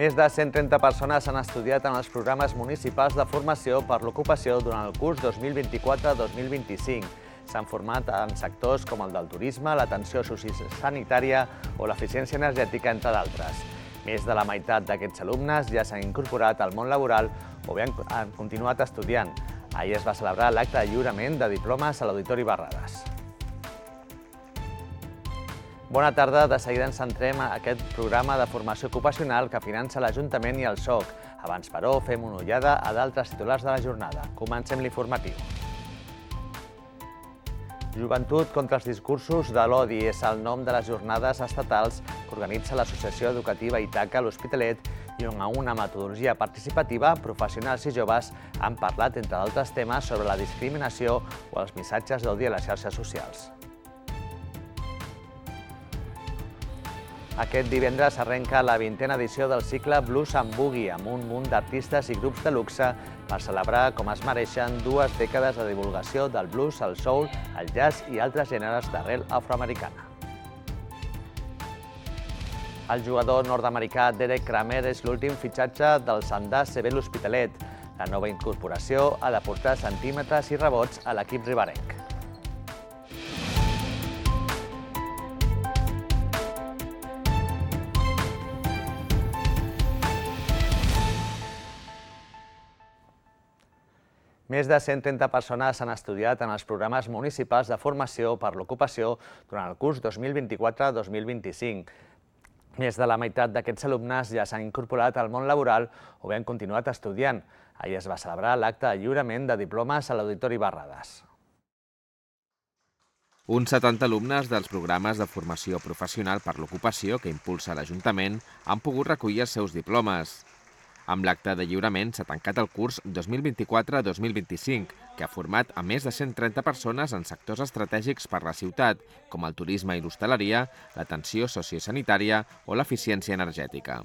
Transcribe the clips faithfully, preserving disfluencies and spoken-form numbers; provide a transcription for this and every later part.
Més de cent trenta persones han estudiat en els programes municipals de formació per l'ocupació durant el curs dos mil vint-i-quatre dos mil vint-i-cinc. S'han format en sectors com el del turisme, l'atenció sociosanitària o l'eficiència energètica, entre d'altres. Més de la meitat d'aquests alumnes ja s'han incorporat al món laboral o bé han continuat estudiant. Ahir es va celebrar l'acte de lliurament de diplomes a l'Auditori Barrades. Bona tarda, de seguida ens centrem en aquest programa de formació ocupacional que finança l'Ajuntament i el S O C. Abans, però, fem una ullada a d'altres titulars de la jornada. Comencem l'informatiu. Joventut contra els discursos de l'odi és el nom de les jornades estatals que organitza l'Associació Educativa Ítaca a l'Hospitalet i on a una metodologia participativa, professionals i joves han parlat, entre d'altres temes, sobre la discriminació o els missatges d'odi a les xarxes socials. Aquest divendres arrenca la vintena edició del cicle Blues and Boogie, amb un munt d'artistes i grups de luxe per celebrar com es mereixen dues dècades de divulgació del blues, el soul, el jazz i altres gèneres d'arrel afroamericana. El jugador nord-americà Derek Kramer és l'últim fitxatge del Sandà C B l'Hospitalet. La nova incorporació ha de portar centímetres i rebots a l'equip riberenc. Més de cent trenta persones han estudiat en els programes municipals de formació per l'ocupació durant el curs dos mil vint-i-quatre dos mil vint-i-cinc. Més de la meitat d'aquests alumnes ja s'han incorporat al món laboral o bé han continuat estudiant. Ahir es va celebrar l'acte de lliurament de diplomes a l'Auditori Barrades. Uns setanta alumnes dels programes de formació professional per l'ocupació que impulsa l'Ajuntament han pogut recollir els seus diplomes. Amb l'acte de lliurament s'ha tancat el curs dos mil vint-i-quatre dos mil vint-i-cinc, que ha format a més de cent trenta persones en sectors estratègics per la ciutat, com el turisme i l'hostaleria, l'atenció sociosanitària o l'eficiència energètica.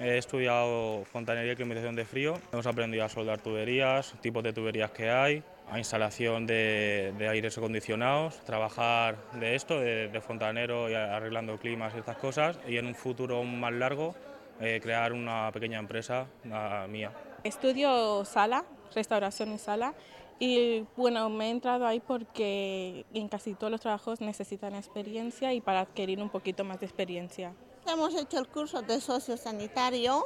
He estudiado fontanería y climatización de frío. Hemos aprendido a soldar tuberías, tipos de tuberías que hay, a instalación de, de aires acondicionados, trabajar de esto, de, de fontanero y arreglando climas y estas cosas, y en un futuro más largo Eh, crear una pequeña empresa uh, mía. Estudio sala, restauración y sala, y bueno, me he entrado ahí porque en casi todos los trabajos necesitan experiencia y para adquirir un poquito más de experiencia. Hemos hecho el curso de sociosanitario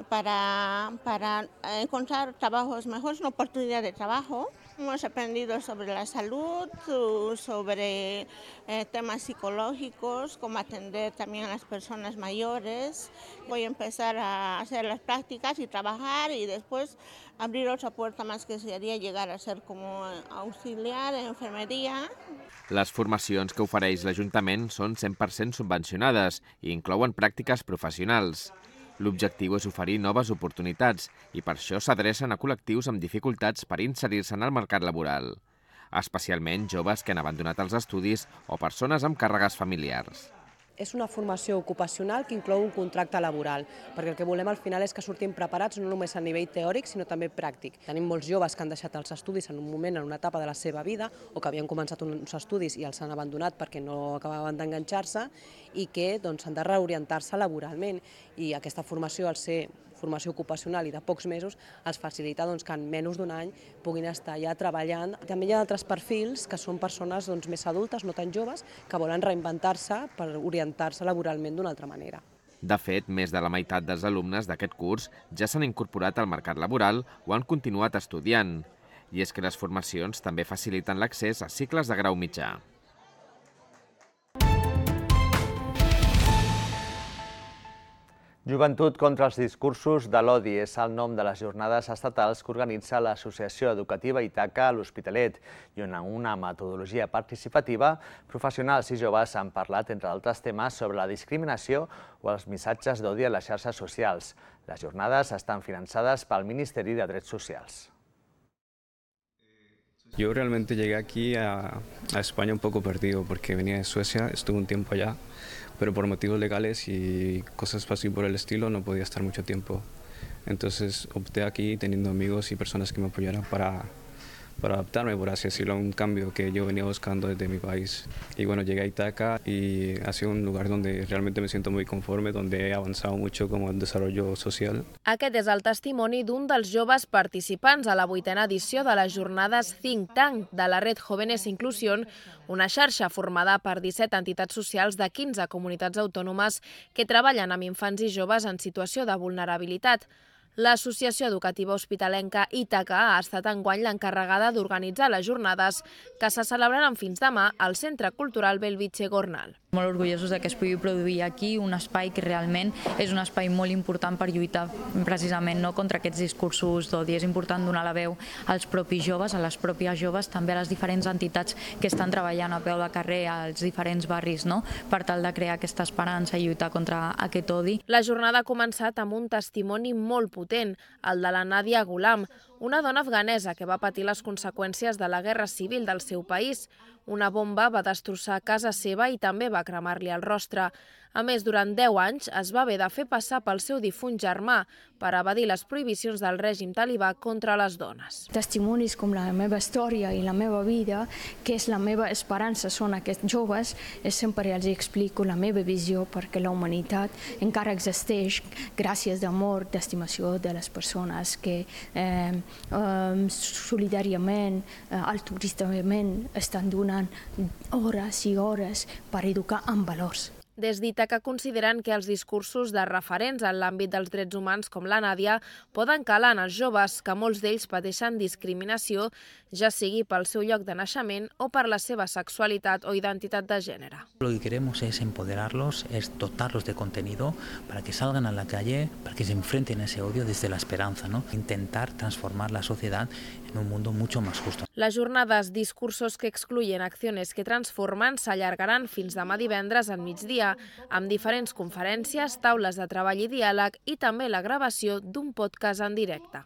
para, para encontrar trabajos mejores, una oportunidad de trabajo. Hemos aprendido sobre la salud, sobre eh, temas psicológicos, cómo atender también a las personas mayores. Voy a empezar a hacer las prácticas y trabajar y después abrir otra puerta más que sería llegar a ser como auxiliar en enfermería. Les formacions que ofereix l'Ajuntament són cent per cent subvencionades i inclouen pràctiques professionals. L'objectiu és oferir noves oportunitats i per això s'adrecen a col·lectius amb dificultats per inserir-se en el mercat laboral, especialment joves que han abandonat els estudis o persones amb càrregues familiars. És una formació ocupacional que inclou un contracte laboral, perquè el que volem al final és que sortim preparats no només a nivell teòric, sinó també pràctic. Tenim molts joves que han deixat els estudis en un moment, en una etapa de la seva vida, o que havien començat uns estudis i els han abandonat perquè no acabaven d'enganxar-se i que doncs, han de reorientar-se laboralment. I aquesta formació, al ser formació ocupacional i de pocs mesos, els facilita doncs, que en menys d'un any puguin estar ja treballant. També hi ha altres perfils que són persones doncs, més adultes, no tan joves, que volen reinventar-se per orientar-se laboralment d'una altra manera. De fet, més de la meitat dels alumnes d'aquest curs ja s'han incorporat al mercat laboral o han continuat estudiant. I és que les formacions també faciliten l'accés a cicles de grau mitjà. Joventut contra els discursos de l'odi és el nom de les jornades estatals que organitza l'Associació Educativa Ítaca a l'Hospitalet i on en una metodologia participativa, professionals i joves han parlat, entre altres temes, sobre la discriminació o els missatges d'odi a les xarxes socials. Les jornades estan finançades pel Ministeri de Drets Socials. Yo realmente llegué aquí a, a España un poco perdido porque venía de Suecia, estuve un tiempo allá, pero por motivos legales y cosas así por el estilo no podía estar mucho tiempo. Entonces opté aquí teniendo amigos y personas que me apoyaran para, para adaptarme, por así decirlo, a un cambio que yo venía buscando desde mi país. Y bueno, llegué a Ítaca y ha sido un lugar donde realmente me siento muy conforme, donde he avanzado mucho como en desarrollo social. Aquest és el testimoni d'un dels joves participants a la vuitena edició de les jornades Think Tank de la Red Jóvenes Inclusión, una xarxa formada per disset entitats socials de quinze comunitats autònomes que treballen amb infants i joves en situació de vulnerabilitat. L'Associació Educativa Hospitalenca Ítaca ha estat enguany l'encarregada d'organitzar les jornades que se celebraran fins demà al Centre Cultural Bellvitge Gornal. Molt orgullosos que es pugui produir aquí un espai que realment és un espai molt important per lluitar precisament contra aquests discursos d'odi. És important donar la veu als propis joves, a les pròpies joves, també a les diferents entitats que estan treballant a peu de carrer als diferents barris, per tal de crear aquesta esperança i lluitar contra aquest odi. La jornada ha començat amb un testimoni molt potent, el de la Nadia Ghulam, una dona afganesa que va patir les conseqüències de la guerra civil del seu país. Una bomba va destrossar casa seva i també va cremar-li el rostre. A més, durant deu anys es va haver de fer passar pel seu difunt germà per evadir les prohibicions del règim talibà contra les dones. Testimonis com la meva història i la meva vida, que és la meva esperança, són aquests joves, sempre els explico la meva visió perquè la humanitat encara existeix gràcies d'amor, d'estimació de les persones que eh, eh, solidàriament, eh, altruistament estan donant hores i hores per educar en valors. Des d'Ítaca consideren que els discursos de referents en l'àmbit dels drets humans com la Nàdia poden calar en els joves, que molts d'ells pateixen discriminació, ja sigui pel seu lloc de naixement o per la seva sexualitat o identitat de gènere. Lo que queremos es empoderarlos, es dotarlos de contenido para que salgan a la calle, para que se enfrenten a ese odio desde la esperanza, ¿no? Intentar transformar la sociedad en un mundo mucho más justo. Les jornades Discursos que excluyen, acciones que transformen s'allargaran fins demà divendres al migdia, amb diferents conferències, taules de treball i diàleg i també la gravació d'un podcast en directe.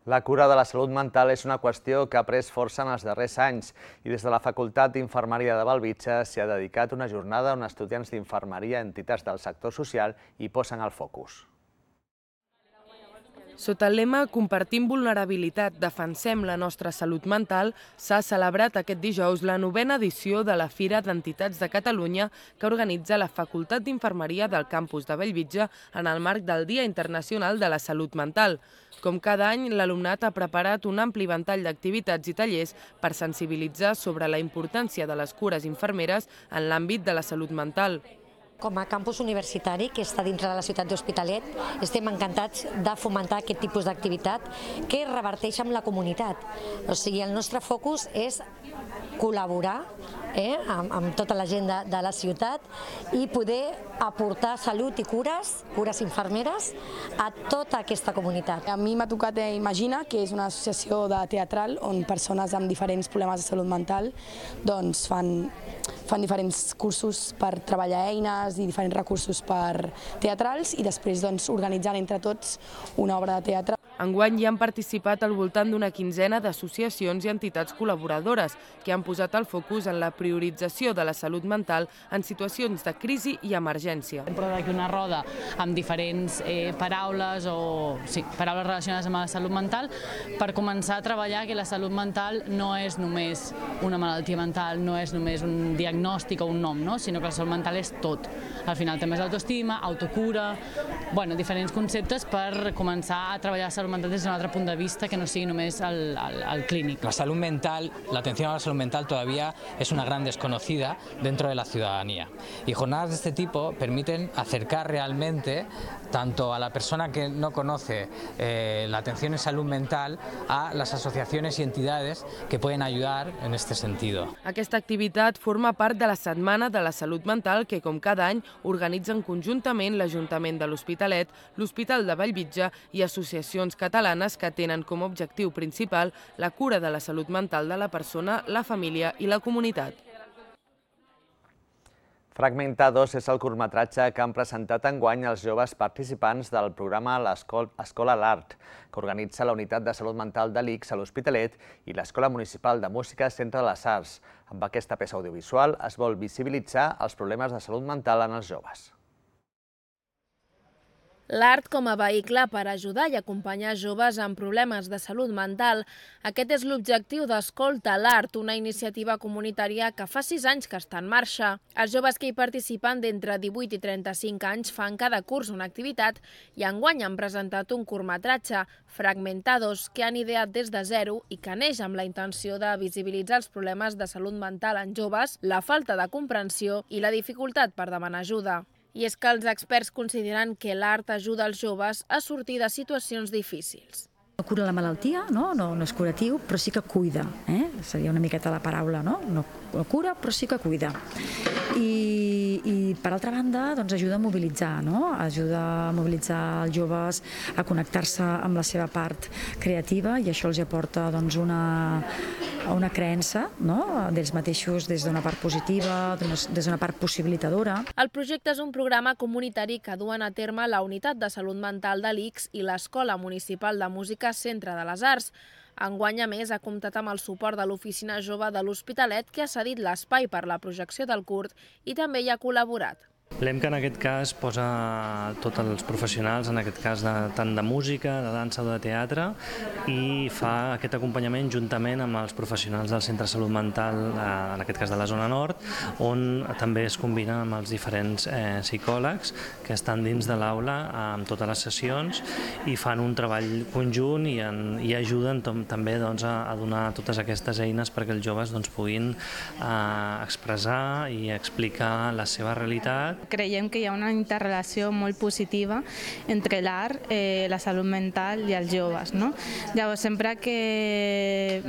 La cura de la salut mental és una qüestió que ha pres força en els darrers anys i des de la Facultat d'Infermeria de Bellvitge s'hi ha dedicat una jornada on estudiants d'infermeria i entitats del sector social hi posen el focus. Sota el lema Compartim vulnerabilitat, defensem la nostra salut mental, s'ha celebrat aquest dijous la novena edició de la Fira d'Entitats de Catalunya que organitza la Facultat d'Infermeria del campus de Bellvitge en el marc del Dia Internacional de la Salut Mental. Com cada any, l'alumnat ha preparat un ampli ventall d'activitats i tallers per sensibilitzar sobre la importància de les cures infermeres en l'àmbit de la salut mental. Com a campus universitari que està dintre de la ciutat d'Hospitalet, estem encantats de fomentar aquest tipus d'activitat que reverteix amb la comunitat. O sigui, el nostre focus és col·laborar eh, amb, amb tota la gent de, de la ciutat i poder aportar salut i cures, cures infermeres, a tota aquesta comunitat. A mi m'ha tocat Imagina, que és una associació de teatral on persones amb diferents problemes de salut mental doncs fan, fan diferents cursos per treballar eines i diferents recursos per teatrals i després doncs, organitzant entre tots una obra de teatre. Enguany hi han participat al voltant d'una quinzena d'associacions i entitats col·laboradores que han posat el focus en la priorització de la salut mental en situacions de crisi i emergència. Hem portat aquí una roda amb diferents eh, paraules o sí, paraules relacionades amb la salut mental per començar a treballar que la salut mental no és només una malaltia mental, no és només un diagnòstic o un nom, no? Sinó que la salut mental és tot. Al final també és autoestima, autocura, bueno, diferents conceptes per començar a treballar la salut mental desde un altre punt de vista que no sigui només el, el, el clínic. La salud mental, la atención a la salud mental todavía es una gran desconocida dentro de la ciudadanía. Y jornadas de este tipo permiten acercar realmente tanto a la persona que no conoce eh, la atención en salud mental a las asociaciones y entidades que pueden ayudar en este sentido. Aquesta activitat forma part de la Setmana de la Salut Mental que, com cada any, organitzen conjuntament l'Ajuntament de l'Hospitalet, l'Hospital de Bellvitge i associacions catalanes que tenen com a objectiu principal la cura de la salut mental de la persona, la família i la comunitat. Fragmentados és el curtmetratge que han presentat enguany els joves participants del programa Escola l'Art, que organitza la Unitat de Salut Mental de l'I C S a l'Hospitalet i l'Escola Municipal de Música Centre de les Arts. Amb aquesta peça audiovisual es vol visibilitzar els problemes de salut mental en els joves. L'art com a vehicle per ajudar i acompanyar joves amb problemes de salut mental. Aquest és l'objectiu d'Escolta l'Art, una iniciativa comunitària que fa sis anys que està en marxa. Els joves que hi participen d'entre divuit i trenta-cinc anys fan cada curs una activitat i enguany han presentat un curtmetratge, Fragmentados, que han ideat des de zero i que neix amb la intenció de visibilitzar els problemes de salut mental en joves, la falta de comprensió i la dificultat per demanar ajuda. I és que els experts consideren que l'art ajuda els joves a sortir de situacions difícils. No cura la malaltia, no, no, no és curatiu, però sí que cuida. Eh? Seria una miqueta la paraula, no? No cura, però sí que cuida. I, i per altra banda, doncs ajuda a mobilitzar, no? Ajuda a mobilitzar els joves a connectar-se amb la seva part creativa i això els aporta doncs, una, una creença, no? D'ells mateixos des d'una part positiva, des d'una part possibilitadora. El projecte és un programa comunitari que duen a terme la Unitat de Salut Mental de l'I C S i l'Escola Municipal de Música Centre de les Arts. Enguany, a més, ha comptat amb el suport de l'Oficina Jove de l'Hospitalet, que ha cedit l'espai per la projecció del curt i també hi ha col·laborat. L'E M C A en aquest cas posa tots els professionals, en aquest cas de, tant de música, de dansa o de teatre, i fa aquest acompanyament juntament amb els professionals del Centre de Salut Mental, en aquest cas de la zona nord, on també es combina amb els diferents eh, psicòlegs que estan dins de l'aula amb totes les sessions i fan un treball conjunt i, en, i ajuden tom, també doncs, a, a donar totes aquestes eines perquè els joves doncs, puguin eh, expressar i explicar la seva realitat. Creiem que hi ha una interrelació molt positiva entre l'art, eh, la salut mental i els joves. No? Llavors, sempre que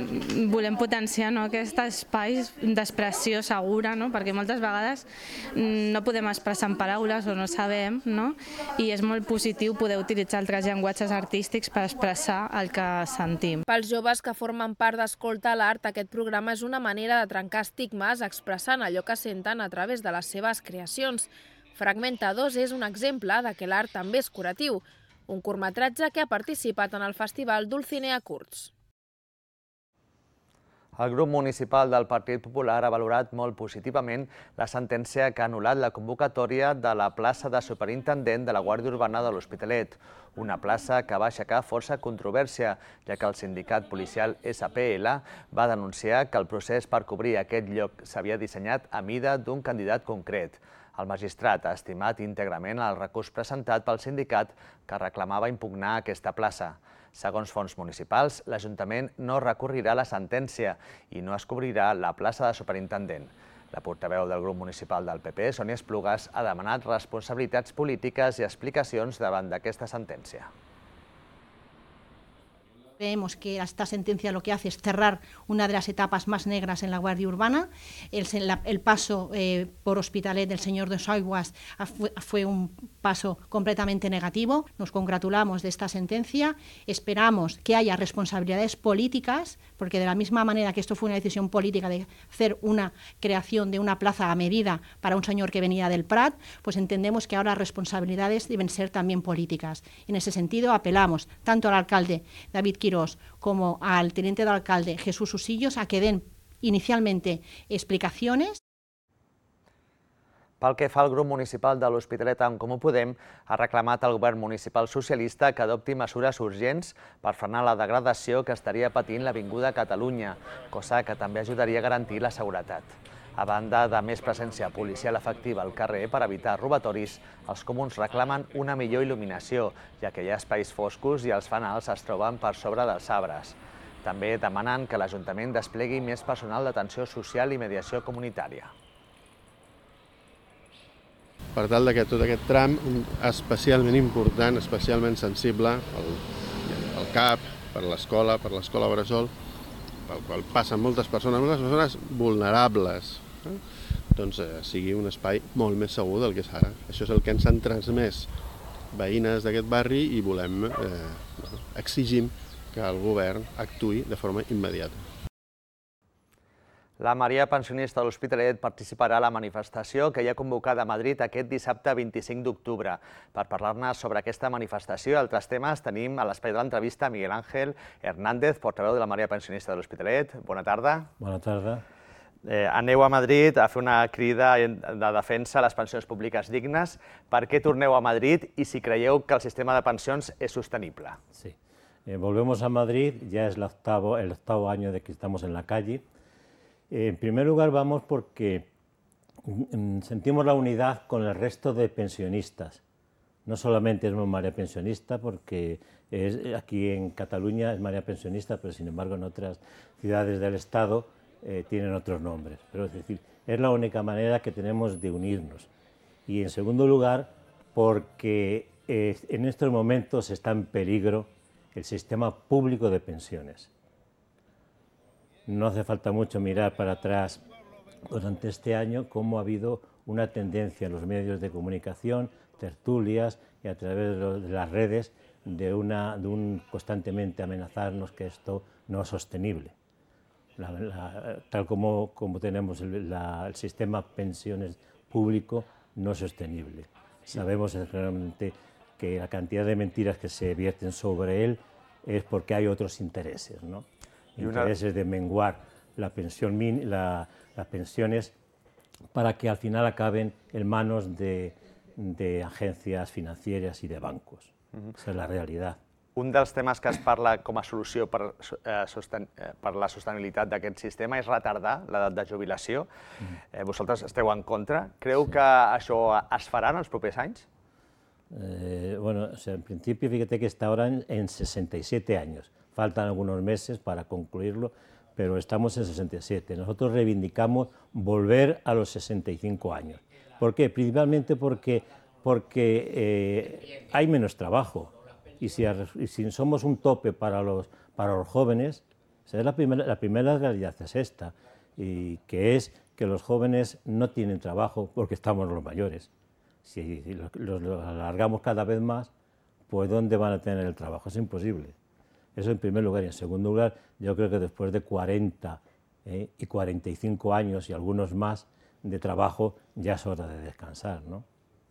volem potenciar no, aquests espais d'expressió segura, no? Perquè moltes vegades no podem expressar en paraules o no sabem, no? I és molt positiu poder utilitzar altres llenguatges artístics per expressar el que sentim. Pels joves que formen part d'Escolta l'Art, aquest programa és una manera de trencar estigmes expressant allò que senten a través de les seves creacions. Fragmentados és un exemple de que l'art també és curatiu, un curtmetratge que ha participat en el Festival Dulcinea Curts. El grup municipal del Partit Popular ha valorat molt positivament la sentència que ha anul·lat la convocatòria de la plaça de superintendent de la Guàrdia Urbana de l'Hospitalet, una plaça que va aixecar força controvèrsia, ja que el sindicat policial S P L va denunciar que el procés per cobrir aquest lloc s'havia dissenyat a mida d'un candidat concret. El magistrat ha estimat íntegrament el recurs presentat pel sindicat que reclamava impugnar aquesta plaça. Segons fonts municipals, l'Ajuntament no recorrirà la sentència i no es cobrirà la plaça de superintendent. La portaveu del grup municipal del P P, Sònia Esplugas, ha demanat responsabilitats polítiques i explicacions davant d'aquesta sentència. Creemos que esta sentencia lo que hace es cerrar una de las etapas más negras en la Guardia Urbana. El, el paso eh, por Hospitalet del señor de Soiguas fue, fue un paso completamente negativo. Nos congratulamos de esta sentencia. Esperamos que haya responsabilidades políticas, porque de la misma manera que esto fue una decisión política de hacer una creación de una plaza a medida para un señor que venía del Prat, pues entendemos que ahora las responsabilidades deben ser también políticas. En ese sentido, apelamos tanto al alcalde David Quirós como al teniente de alcalde Jesús Usillos a que den inicialmente explicaciones. Pel que fa al grup municipal de l'Hospitalet en Comú Podem, ha reclamat al govern municipal socialista que adopti mesures urgents per frenar la degradació que estaria patint l'Avinguda Catalunya, cosa que també ajudaria a garantir la seguretat. A banda de més presència policial efectiva al carrer per evitar robatoris, els comuns reclamen una millor il·luminació, ja que hi ha espais foscos i els fanals es troben per sobre dels arbres. També demanen que l'Ajuntament desplegui més personal d'atenció social i mediació comunitària. Per tal que tot aquest tram, especialment important, especialment sensible, pel C A P, per l'escola, per l'escola Bressol, pel qual passen moltes persones, moltes persones vulnerables, eh? doncs eh, sigui un espai molt més segur del que és ara. Això és el que ens han transmès veïnes d'aquest barri i volem, eh, exigim que el govern actuï de forma immediata. La Maria Pensionista de l'Hospitalet participarà a la manifestació que hi ha convocada a Madrid aquest dissabte vint-i-cinc d'octubre. Per parlar-ne sobre aquesta manifestació i altres temes tenim a l'espai de l'entrevista Miguel Ángel Hernández, portaveu de la Maria Pensionista de l'Hospitalet. Bona tarda. Bona tarda. Aneu a Madrid a fer una crida de defensa a les pensions públiques dignes. Per què torneu a Madrid i si creieu que el sistema de pensions és sostenible? Sí, volvemos a Madrid, ya es el octavo, el octavo año de que estamos en la calle. En primer lugar vamos porque sentimos la unidad con el resto de pensionistas. No solamente es María Pensionista, porque es, aquí en Cataluña es María Pensionista, pero sin embargo en otras ciudades del Estado eh, tienen otros nombres. Pero es decir, es la única manera que tenemos de unirnos. Y en segundo lugar, porque eh, en estos momentos está en peligro el sistema público de pensiones. No hace falta mucho mirar para atrás durante este año cómo ha habido una tendencia en los medios de comunicación, tertulias y a través de las redes de, una, de un constantemente amenazarnos que esto no es sostenible. La, la, tal como, como tenemos el, la, el sistema pensiones público no es sostenible. Sabemos realmente que la cantidad de mentiras que se vierten sobre él es porque hay otros intereses, ¿no? Intereses de menguar la pensión, la, las pensiones para que al final acaben en manos de, de agencias financieras i de bancos. Uh-huh. Esa és la realitat. Un dels temes que es parla com a solució per, eh, sosten per la sostenibilitat d'aquest sistema és retardar l'edat de jubilació. Uh-huh. eh, vosaltres esteu en contra. Creu sí. que això es farà en els propers anys? Eh, bueno, o sea, en principio, fíjate que está ahora en, en sesenta y siete años. Faltan algunos meses para concluirlo, pero estamos en sesenta y siete. Nosotros reivindicamos volver a los sesenta y cinco años. ¿Por qué? Principalmente porque, porque eh, hay menos trabajo. Y si, y si somos un tope para los, para los jóvenes, o sea, la, primera, la primera realidad es esta, y que es que los jóvenes no tienen trabajo porque estamos los mayores. Si los, los, los alargamos cada vez más, pues ¿dónde van a tener el trabajo? Es imposible. Eso en primer lugar. Y en segundo lugar, yo creo que después de cuarenta eh, y cuarenta y cinco años y algunos más de trabajo, ya es hora de descansar, ¿no?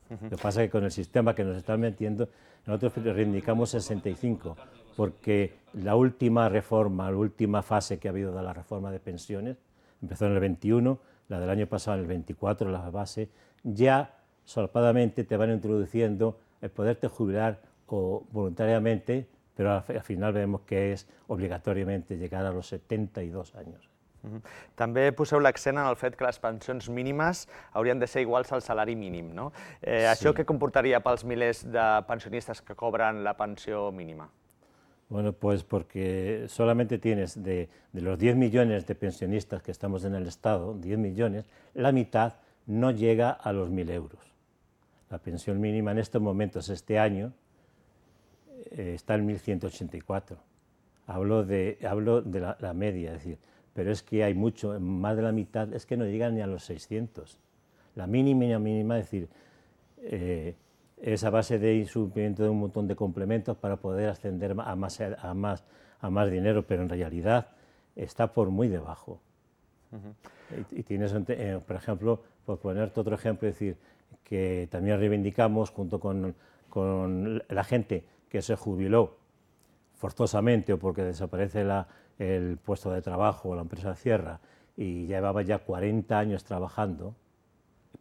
Uh-huh. Lo que pasa es que con el sistema que nos están metiendo, nosotros reivindicamos sesenta y cinco, porque la última reforma, la última fase que ha habido de la reforma de pensiones, empezó en el veintiuno, la del año pasado en el veinticuatro, la base, ya solapadamente te van introduciendo el poderte jubilar o voluntariamente, pero al, al final vemos que es obligatoriamente llegar a los setenta y dos años. Uh-huh. També poseu l'accent en el fet que les pensions mínimes haurien de ser iguals al salari mínim, no? Eh, sí. Això què comportaria pels milers de pensionistes que cobran la pensió mínima? Bueno, pues porque solamente tienes de, de los diez millones de pensionistas que estamos en el Estado, diez millones, la mitad no llega a los mil euros. La pensión mínima en estos momentos, este año, eh, está en mil ciento ochenta y cuatro. Hablo de, hablo de la, la media, es decir, pero es que hay mucho, más de la mitad, es que no llegan ni a los seiscientos. La mínima, mínima, es decir, eh, es a base de incumplimiento de un montón de complementos para poder ascender a más, a más, a más dinero, pero en realidad está por muy debajo. Uh-huh. Y, y tienes, eh, por ejemplo, por ponerte otro ejemplo, es decir, que también reivindicamos junto con, con la gente que se jubiló forzosamente o porque desaparece la, el puesto de trabajo o la empresa cierra y llevaba ya cuarenta años trabajando,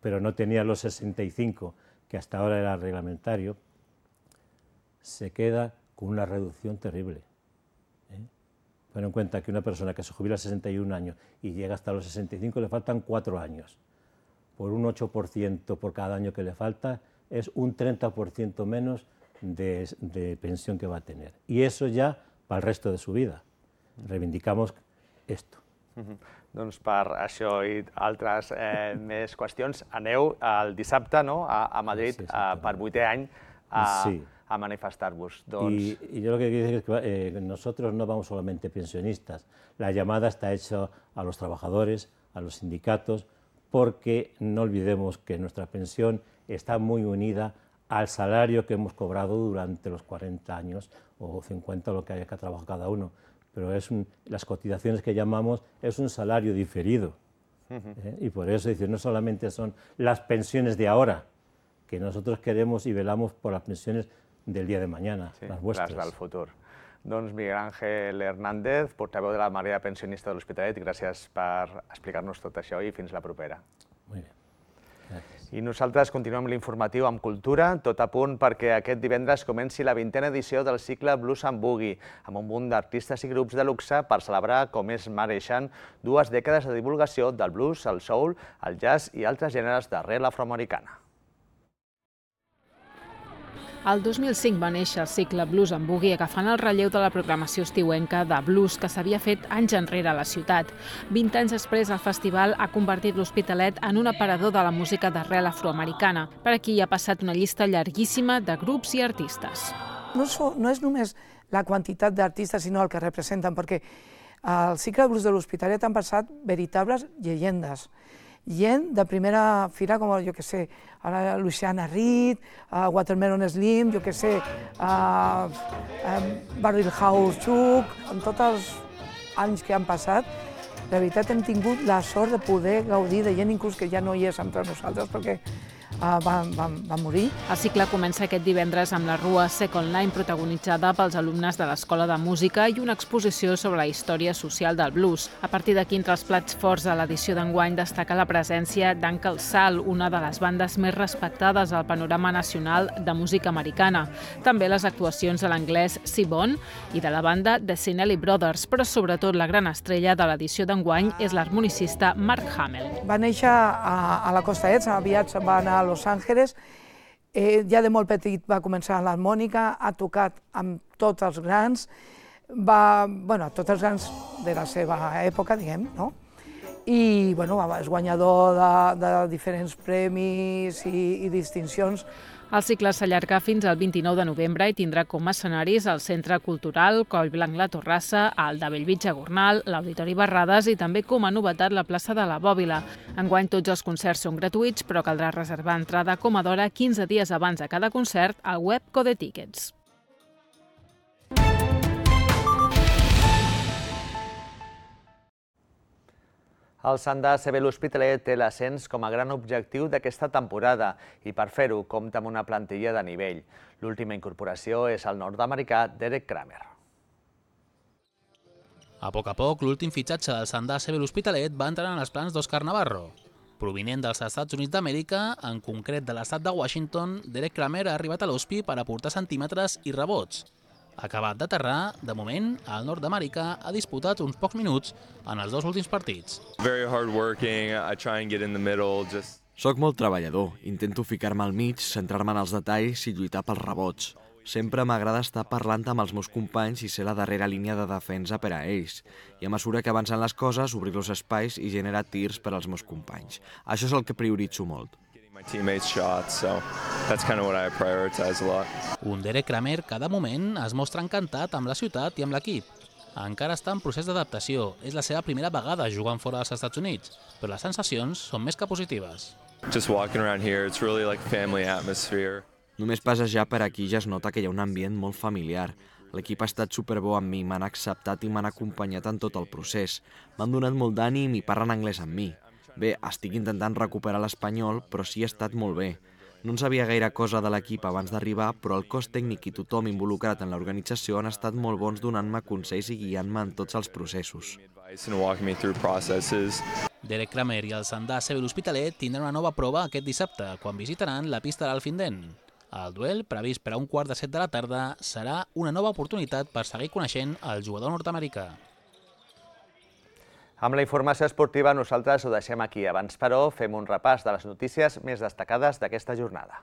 pero no tenía los sesenta y cinco que hasta ahora era reglamentario, se queda con una reducción terrible. ¿eh? Ten en cuenta que una persona que se jubila a sesenta y un años y llega hasta los sesenta y cinco le faltan cuatro años. Por un ocho por ciento por cada año que le falta, es un treinta por ciento menos de, de pensión que va a tener. Y eso ya para el resto de su vida. Reivindicamos esto. Uh-huh. Doncs per això i altres eh, més qüestions, aneu el dissabte, no?, a, a Madrid sí, sí, eh, per vuitè any a, sí. a manifestar-vos. Doncs... Y, y yo lo que quiero decir es que eh, nosotros no vamos solamente pensionistas. La llamada está hecha a los trabajadores, a los sindicatos, porque no olvidemos que nuestra pensión está muy unida al salario que hemos cobrado durante los cuarenta años o cincuenta, lo que haya que trabajar cada uno. Pero es un, las cotizaciones que llamamos es un salario diferido. Uh-huh. ¿eh? Y por eso decir, no solamente son las pensiones de ahora, que nosotros queremos y velamos por las pensiones del día de mañana, sí, las vuestras. Les del futur. Doncs Miguel Ángel Hernández, portaveu de la Marea Pensionista de l'Hospitalet, gràcies per explicar-nos tot això i fins la propera. Molt bé. Gràcies. I nosaltres continuem l'informatiu amb cultura, tot a punt perquè aquest divendres comenci la vintena edició del cicle Blues and Boogie, amb un munt d'artistes i grups de luxe per celebrar com es mereixen dues dècades de divulgació del blues, el soul, el jazz i altres gèneres d'arrel afroamericana. El dos mil cinc va néixer el cicle Blues and Boogie agafant el relleu de la programació estiuenca de blues que s'havia fet anys enrere a la ciutat. vint anys després, el festival ha convertit l'Hospitalet en un aparador de la música d'arrel afroamericana. Per aquí hi ha passat una llista llarguíssima de grups i artistes. No, so, no és només la quantitat d'artistes, sinó el que representen, perquè al cicle Blues de l'Hospitalet han passat veritables llegendes. Gent de primera fila, com, jo què sé, ara Luciana Reed, uh, Watermelon Slim, jo què sé, uh, um, Barrel House Chuck, en tots els anys que han passat, de veritat hem tingut la sort de poder gaudir de gent inclús que ja no hi és entre nosaltres, perquè Uh, van, van, van morir. El cicle comença aquest divendres amb la rua Second Line, protagonitzada pels alumnes de l'Escola de Música i una exposició sobre la història social del blues. A partir d'aquí, entre els plats forts de l'edició d'enguany destaca la presència d'Uncle Sal, una de les bandes més respectades al panorama nacional de música americana. També les actuacions de l'anglès C-Bone i de la banda The Sinelli Brothers, però sobretot la gran estrella de l'edició d'enguany és l'harmonicista Mark Hamill. Va néixer a, a la Costa Est, aviat se'n va anar a Los Angeles, eh, ja de molt petit va començar l'harmònica, ha tocat amb tots els grans, va, bueno, tots els grans de la seva època, diguem, no? I, bueno, és guanyador de, de diferents premis i, i distincions. El cicle s'allarga fins al vint-i-nou de novembre i tindrà com a escenaris el Centre Cultural Collblanc La Torrassa, el de Bellvitge Gornal, l'Auditori Barrades i també com a novetat la plaça de la Bòbila. Enguany tots els concerts són gratuïts, però caldrà reservar entrada com a d'hora quinze dies abans de cada concert al web Code Tickets. El Sant de C B l'Hospitalet té l'ascens com a gran objectiu d'aquesta temporada i per fer-ho compta amb una plantilla de nivell. L'última incorporació és el nord-americà Derek Kramer. A poc a poc, l'últim fitxatge del Sant de C B l'Hospitalet va entrar en els plans d'Òscar Navarro. Provinent dels Estats Units d'Amèrica, en concret de l'estat de Washington, Derek Kramer ha arribat a l'Hospi per aportar centímetres i rebots. Acabat d'aterrar, de moment, el nord-americà ha disputat uns pocs minuts en els dos últims partits. Soc molt treballador, intento ficar-me al mig, centrar-me en els detalls i lluitar pels rebots. Sempre m'agrada estar parlant amb els meus companys i ser la darrera línia de defensa per a ells. I a mesura que avancen les coses, obrir los espais i generar tirs per als meus companys. Això és el que prioritzo molt. Un Derek Kramer que de moment es mostra encantat amb la ciutat i amb l'equip. Encara està en procés d'adaptació, és la seva primera vegada jugant fora dels Estats Units, però les sensacions són més que positives. Només passejar per aquí ja es nota que hi ha un ambient molt familiar. L'equip ha estat superbo amb mi, m'han acceptat i m'han acompanyat en tot el procés. M'han donat molt d'ànim i parlen anglès amb mi. Bé, estic intentant recuperar l'espanyol, però sí ha estat molt bé. No en sabia gaire cosa de l'equip abans d'arribar, però el cos tècnic i tothom involucrat en l'organització han estat molt bons donant-me consells i guiant-me en tots els processos. Derek Kramer i el Sant de C B l'Hospitalet tindran una nova prova aquest dissabte, quan visitaran la pista de l'Alfindent. El duel, previst per a un quart de set de la tarda, serà una nova oportunitat per seguir coneixent el jugador nord-americà. Amb la informació esportiva nosaltres ho deixem aquí. Abans, però, fem un repàs de les notícies més destacades d'aquesta jornada.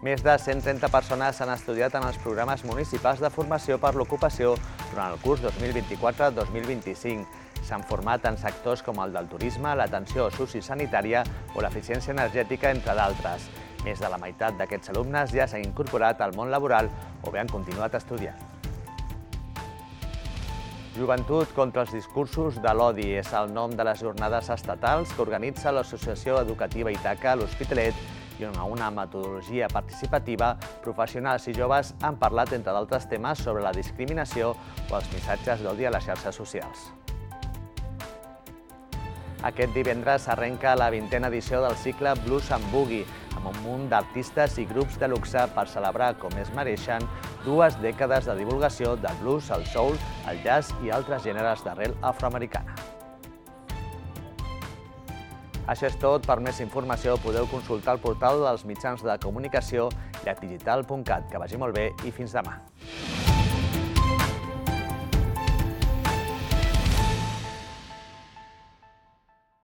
Més de cent trenta persones s'han estudiat en els programes municipals de formació per l'ocupació durant el curs dos mil vint-i-quatre dos mil vint-i-cinc. S'han format en sectors com el del turisme, l'atenció sociosanitària o l'eficiència energètica, entre d'altres. Més de la meitat d'aquests alumnes ja s'han incorporat al món laboral o bé han continuat estudiant. Joventut contra els discursos de l'odi és el nom de les jornades estatals que organitza l'Associació Educativa Ítaca a l'Hospitalet i on a una metodologia participativa, professionals i joves han parlat, entre d'altres temes, sobre la discriminació o els missatges d'odi a les xarxes socials. Aquest divendres s'arrenca la vintena edició del cicle Blues and Boogie, amb un munt d'artistes i grups de luxe per celebrar com es mereixen dues dècades de divulgació del blues, el soul, el jazz i altres gèneres d'arrel afroamericana. Això és tot. Per més informació podeu consultar el portal dels mitjans de comunicació llacdigital punt cat. Que vagi molt bé i fins demà.